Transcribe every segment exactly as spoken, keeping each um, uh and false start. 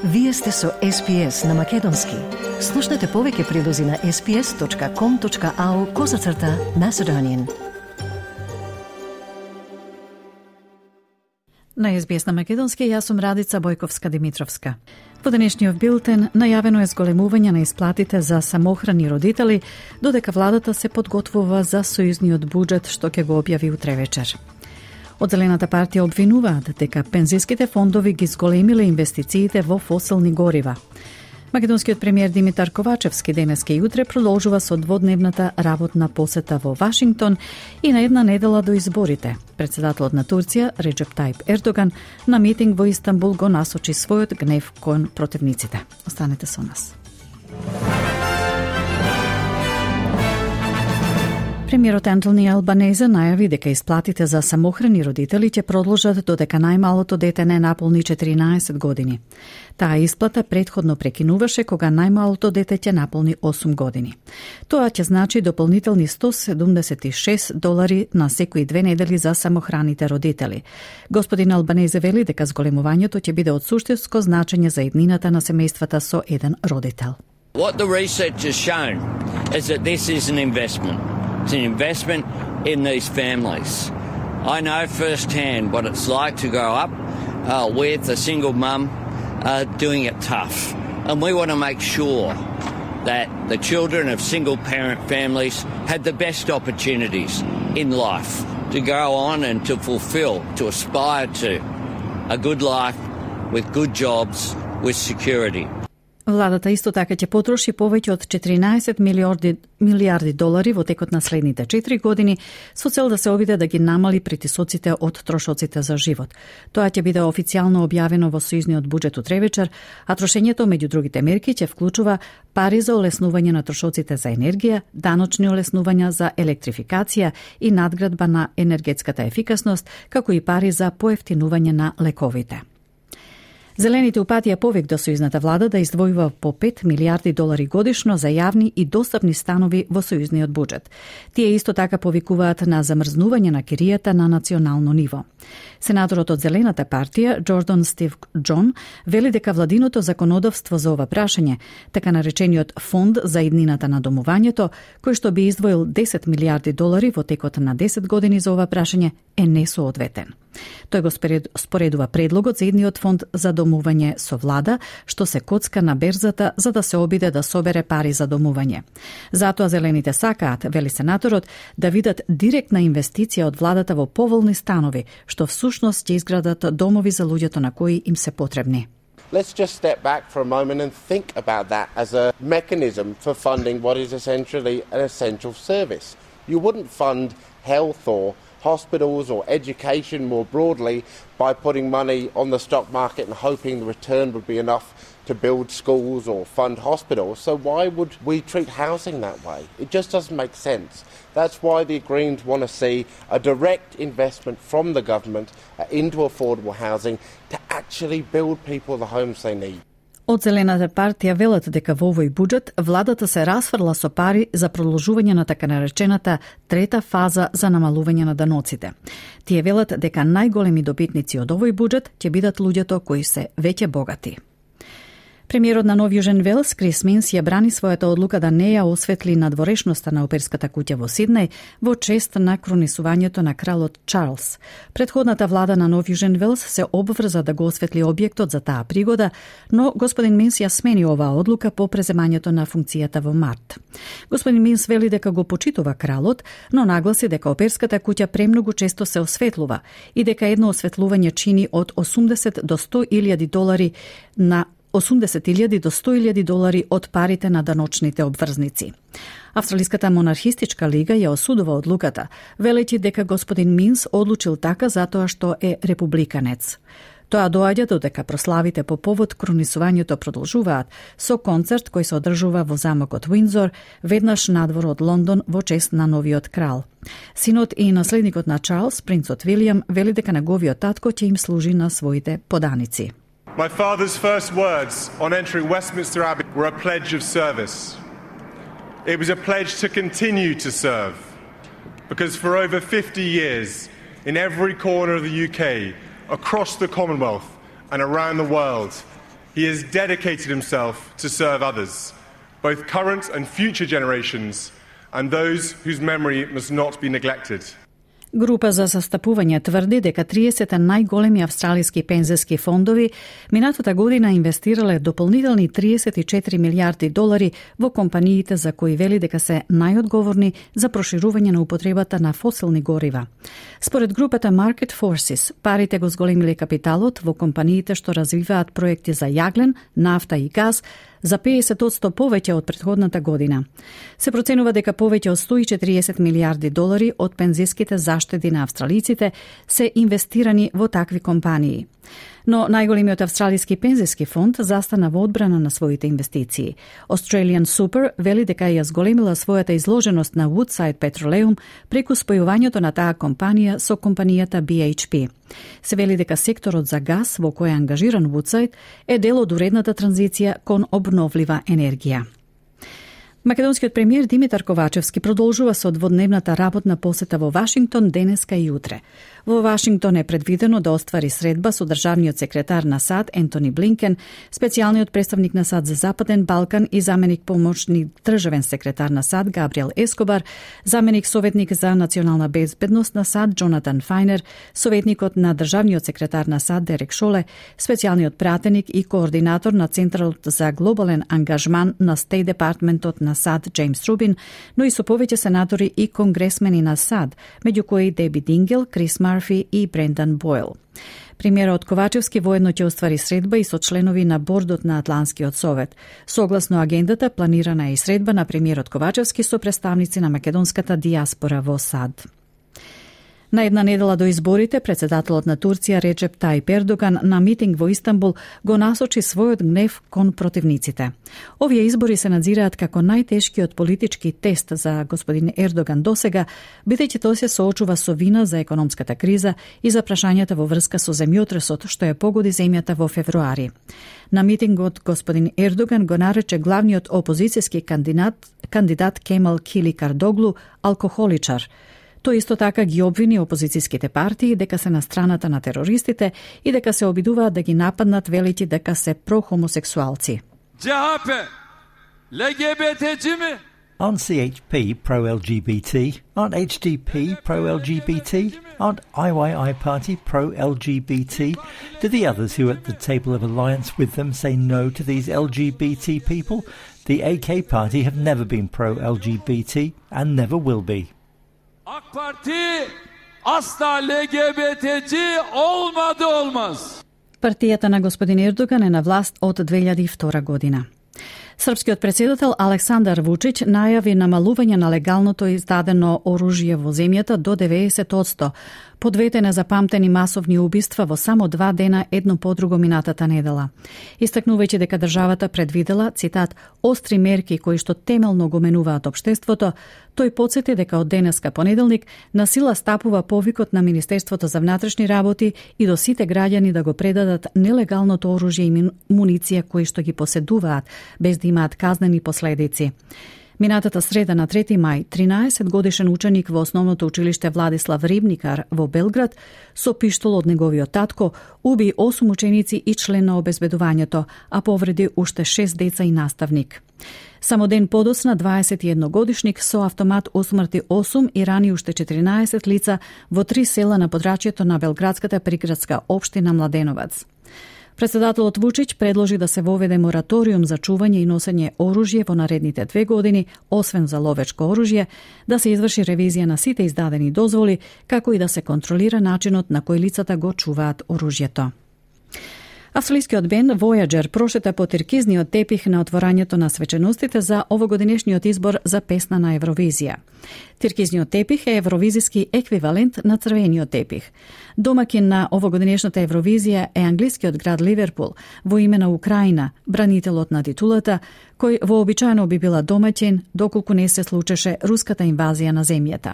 Вие сте со Ес Пи Ес на Македонски. Слушнете повеќе прилози на ес пи ес точка ком точка ау козацрта Macedonian. На Ес Би Ес на Македонски, јас сум Радица Бојковска-Димитровска. Во денешниот билтен најавено е зголемување на исплатите за самохрани родители, додека владата се подготвува за сојузниот буџет што ќе го објави утре вечер. Од Зелената партија обвинуваат дека пензиските фондови ги зголемиле инвестициите во фосилни горива. Македонскиот премиер Димитар Ковачевски денеска и утре продолжува со дводневната работна посета во Вашингтон и на една недела до изборите. Председателот на Турција, Реджеп Тајип Ердоган, на митинг во Истанбул го насочи својот гнев кон противниците. Останете со нас. Премиерот Антони Албанезе најави дека исплатите за самохрани родители ќе продолжат додека најмалото дете не наполни четиринаесет години. Таа исплата претходно прекинуваше кога најмалото дете ќе наполни осум години. Тоа ќе значи дополнителни сто седумдесет и шест долари на секои две недели за самохраните родители. Господин Албанезе вели дека зголемувањето ќе биде од суштинско значење за еднината на семејствата со еден родител. What the research has shown is that this is an investment. It's an investment in these families. I know firsthand what it's like to grow up uh, with a single mum uh, doing it tough. And we want to make sure that the children of single parent families had the best opportunities in life to go on and to fulfill, to aspire to a good life with good jobs, with security. Владата исто така ќе потроши повеќе од четиринаесет милиарди, милиарди долари во текот на следните четири години со цел да се обиде да ги намали притисоците од трошоците за живот. Тоа ќе биде официјално објавено во сојузниот буџет утре вечер, а трошењето меѓу другите мерки ќе вклучува пари за олеснување на трошоците за енергија, даночни олеснувања за електрификација и надградба на енергетската ефикасност, како и пари за поевтинување на лековите. Зелените упатија повик до сојузната влада да издвојува по пет милиарди долари годишно за јавни и достапни станови во сојузниот буџет. Тие исто така повикуваат на замрзнување на киријата на национално ниво. Сенаторот од Зелената партија, Джордан Стив Џон, вели дека владиното законодавство за ова прашање, така наречениот фонд за иднината на домувањето, кој што би издвоил десет милиарди долари во текот на десет години за ова прашање, е несоодветен. Тој го споредува предлогот за идниот фонд за домување со влада, што се коцка на берзата за да се обиде да собере пари за домување. Затоа зелените сакаат, вели сенаторот, да видат директна инвестиција од владата во поволни станови, што всушност ќе изградат домови за луѓето на кои им се потребни. Let's just step back for a moment and think about that as a mechanism for funding what is essentially an essential service. You wouldn't fund health or hospitals or education more broadly by putting money on the stock market and hoping the return would be enough to build schools or fund hospitals. So why would we treat housing that way? It just doesn't make sense. That's why the Greens want to see a direct investment from the government into affordable housing to actually build people the homes they need. Од Зелената партија велат дека во овој буџет владата се расфрла со пари за продолжување на така наречената трета фаза за намалување на даноците. Тие велат дека најголеми добитници од овој буџет ќе бидат луѓето кои се веќе богати. Премиерот на Нов Јужен Велс, Крис Минс, ја брани својата одлука да не ја осветли надворешноста на оперската куќа во Сиднеј во чест на кронисувањето на кралот Чарлс. Предходната влада на Нов Јужен Велс се обврза да го осветли објектот за таа пригода, но господин Минс ја смени оваа одлука по преземањето на функцијата во март. Господин Минс вели дека го почитува кралот, но нагласи дека оперската куќа премногу често се осветлува и дека едно осветлување чини од осумдесет до сто илјади долари на осумдесет илјади до сто илјади долари од парите на даночните обврзници. Австралиската монархистичка лига ја осудува одлуката, велејќи дека господин Минс одлучил така затоа што е републиканец. Тоа доаѓа додека прославите по повод кронисувањето продолжуваат со концерт кој се одржува во замокот Уиндзор, веднаш надвор од Лондон во чест на новиот крал. Синот и наследникот на Чарлс, принцот Вилијам, вели дека неговиот татко ќе им служи на своите поданици. My father's first words on entering Westminster Abbey were a pledge of service. It was a pledge to continue to serve, because for over fifty years, in every corner of the U K, across the Commonwealth and around the world, he has dedicated himself to serve others, both current and future generations, and those whose memory must not be neglected. Група за застапување тврди дека триесет најголеми австралиски пензиски фондови минатата година инвестирале дополнителни триесет и четири милијарди долари во компаниите за кои вели дека се најодговорни за проширување на употребата на фосилни горива. Според групата Market Forces, парите го зголемиле капиталот во компаниите што развиваат проекти за јаглен, нафта и газ за педесет одсто повеќе од претходната година. Се проценува дека повеќе од сто и четириесет милијарди долари од пензиските заштеди на австралиците се инвестирани во такви компании. Но најголемиот австралиски пензиски фонд застана во одбрана на своите инвестиции. Australian Super вели дека ја зголемила својата изложеност на Woodside Petroleum преку спојувањето на таа компанија со компанијата B H P. Се вели дека секторот за газ во кој е ангажиран Woodside е дел од уредната транзиција кон обновлива енергија. Македонскиот премиер Димитар Ковачевски продолжува со дводневната работна посета во Вашингтон денеска и утре. Во Вашингтон е предвидено да оствари средба со државниот секретар на САД Ентони Блинкен, специјалниот представник на САД за Западен Балкан и заменик помошник државен секретар на САД Габриел Ескобар, заменик советник за национална безбедност на САД Джонатан Фајнер, советникот на државниот секретар на САД Дерек Шоле, специјалниот пратеник и координатор на Центарот за глобален ангажман на Стейт Департментот на САД Джеймс Рубин, но и со повеќе сенатори и конгресмени на САД, меѓу кои Деби Дингел, Крис Марфи и Брендан Бойл. Премиерот Ковачевски воедно ќе оствари средба и со членови на бордот на Атлантскиот совет. Согласно агендата, планирана е и средба на премиерот Ковачевски со представници на македонската дијаспора во САД. На една недела до изборите, председателот на Турција Реджеп Тајип Ердоган на митинг во Истанбул го насочи својот гнев кон противниците. Овие избори се надзираат како најтешкиот политички тест за господин Ердоган досега, бидејќи тој се соочува со вина за економската криза и за прашањата во врска со земјотресот што ја погоди земјата во февруари. На митингот господин Ердоган го нарече главниот опозицијски кандидат, кандидат Кемал Кили Кардоглу алкохоличар. Тој исто така ги обвини опозицијските партии дека се на страната на терористите и дека се обидуваат да ги нападнат велики дека се прохомосексуалци. C H P, L G B T C'ci mi? Aren't C H P pro-L G B T? Aren't H D P pro-L G B T? Aren't I Y I Party pro-L G B T? Do the others who are at the table of alliance with them say no to these L G B T people? The A K Party have never been pro-L G B T and never will be. AK Parti asla L G B T C olmadı olmaz. Партијата на господин Ердоган е на власт од две илјади и втора година. Српскиот председател Александар Вучич најави намалување на легалното издадено оружје во земјата до деветдесет одсто, по двете незапамтени масовни убиства во само два дена едно по друго минатата недела. Истакнувајќи дека државата предвидела, цитат, остри мерки кои што темелно го менуваат општеството, тој потсети дека од денеска понеделник на сила стапува повикот на Министерството за внатрешни работи и до сите граѓани да го предадат нелегалното оружје и муниција кои што ги поседуваат, без да имаат казнени последици. Минатата среда на трети мај, тринаесет годишен ученик во основното училиште Владислав Рибникар во Белград со пиштол од неговиот татко уби осум ученици и член на обезбедувањето, а повреди уште шест деца и наставник. Само ден подоцна дваесет и едно годишник со автомат усмрти осум и рани уште четиринаесет лица во три села на подрачјето на белградската приградска општина Младеновац. Председателот Вучич предложи да се воведе мораториум за чување и носење оружје во наредните две години, освен за ловечко оружје, да се изврши ревизија на сите издадени дозволи, како и да се контролира начинот на кој лицата го чуваат оружјето. Австралискиот бенд Voyager прошета по тиркизниот тепих на отворањето на свеченостите за овогодинешниот избор за песна на Евровизија. Тиркизниот тепих е евровизиски еквивалент на црвениот тепих. Домакин на овогодинешната Евровизија е англискиот град Ливерпул, во име на Украина, бранителот на титулата, кој вообичаено би била домаќин доколку не се случеше руската инвазија на земјата.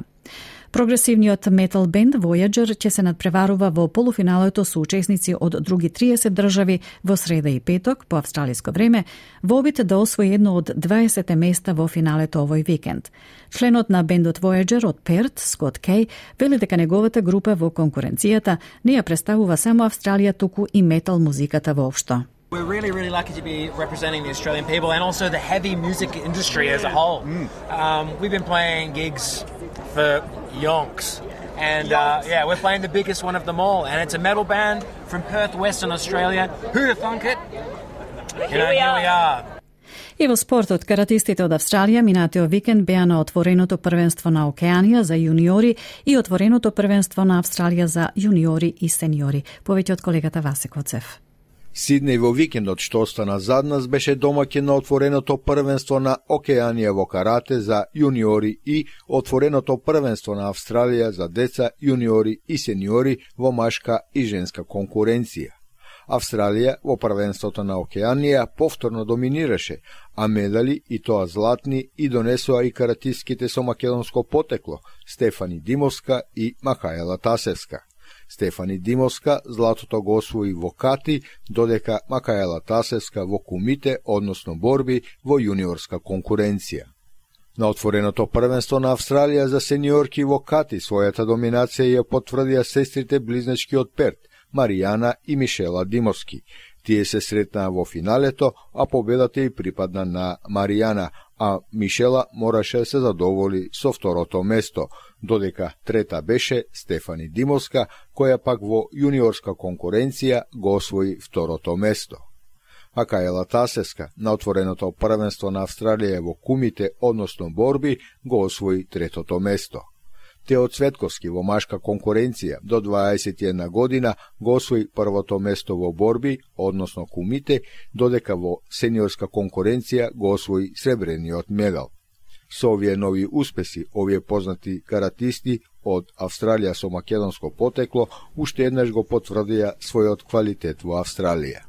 Прогресивниот метал бенд Voyager ќе се надпреварува во полуфиналето со учесници од други триесет држави во среда и петок по австралиско време, во обид да освои едно од дваесет места во финалето овој викенд. Членот на бендот Voyager од Перт, Скот Кей, вели дека неговата група во конкуренцијата не ја представува само Австралија, туку и метал музиката воопшто. We're really, really lucky to be representing the Australian people and also the heavy music industry as a whole. Mm. Um, we've been playing gigs for yonks. And uh, yeah, we're playing the biggest one of them all. And it's a metal band from Perth, Western Australia. Who'd have thunk it? You know, here we are. И во спортот, каратистите од Австралија минатиот викенд беа на отвореното првенство на Океанија за јуниори и отвореното првенство на Австралија за јуниори и сениори. Повеќе од колегата Васе Коцев. Сиднеј во викендот што остана зад нас беше домаќин на отвореното првенство на Океанија во карате за јуниори и отвореното првенство на Австралија за деца, јуниори и сениори во машка и женска конкуренција. Австралија во првенството на Океанија повторно доминираше, а медали и тоа златни и донесоа и каратистките со македонско потекло Стефани Димовска и Махаела Тасевска. Стефани Димовска златото го освои во кати, додека Махаела Тасевска во кумите, односно борби во јуниорска конкуренција. На отвореното првенство на Австралија за сениорки во кати својата доминација ја потврдија сестрите близначки од Перт, Маријана и Мишела Димовски. Тие се сретнаа во финалето, а победата и припадна на Маријана, а Мишела мораше да се задоволи со второто место, додека трета беше Стефани Димовска, која пак во јуниорска конкуренција го освои второто место. Махаела Тасевска на отвореното првенство на Австралија во кумите, односно борби, го освои третото место. Тео Цветковски во машка конкуренција до дваесет и една година го освои првото место во борби, односно кумите, додека во сениорска конкуренција го освои сребрениот медал. Со овие нови успеси, овие познати каратисти од Австралија со македонско потекло уште еднаш го потврдија својот квалитет во Австралија.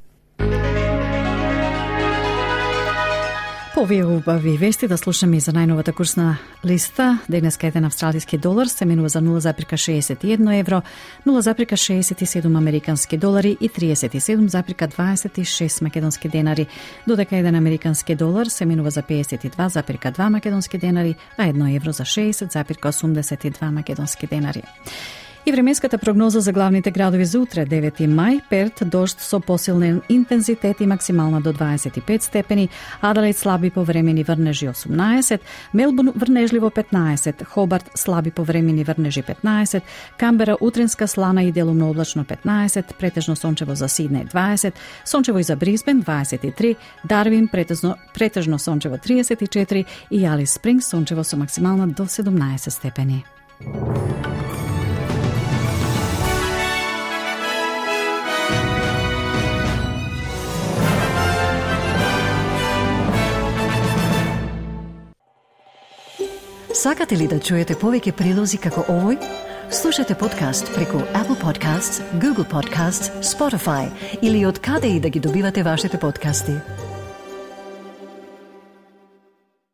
По овие убави вести да слушаме и за најновата курсна листа. Денеска еден австралиски долар се менува за нула запирка шеесет и едно евро, нула запирка шеесет и седум американски долари и триесет и седум запирка дваесет и шест македонски денари, додека еден американски долар се менува за пеесет и два запирка два македонски денари, а едно евро за шеесет запирка осумдесет и два македонски денари. И временската прогноза за главните градови за утре, девети мај, Перт, дожд со посилен интензитет и максимална до дваесет и пет степени, Аделаид слаби повремени врнежи осумнаесет, Мелбурн врнежливо петнаесет, Хобарт слаби повремени врнежи петнаесет, Камбера утринска слана и делумно облачно петнаесет, претежно сончево за Сиднеј дваесет, сончево и за Брисбен дваесет и три, Дарвин претежно, претежно сончево триесет и четири и Алис Спрингс сончево со максимална до седумнаесет степени. Сакате ли да чуете повеќе прилози како овој? Слушате подкаст преку Apple Podcasts, Google Podcasts, Spotify или од каде и да ги добивате вашите подкасти.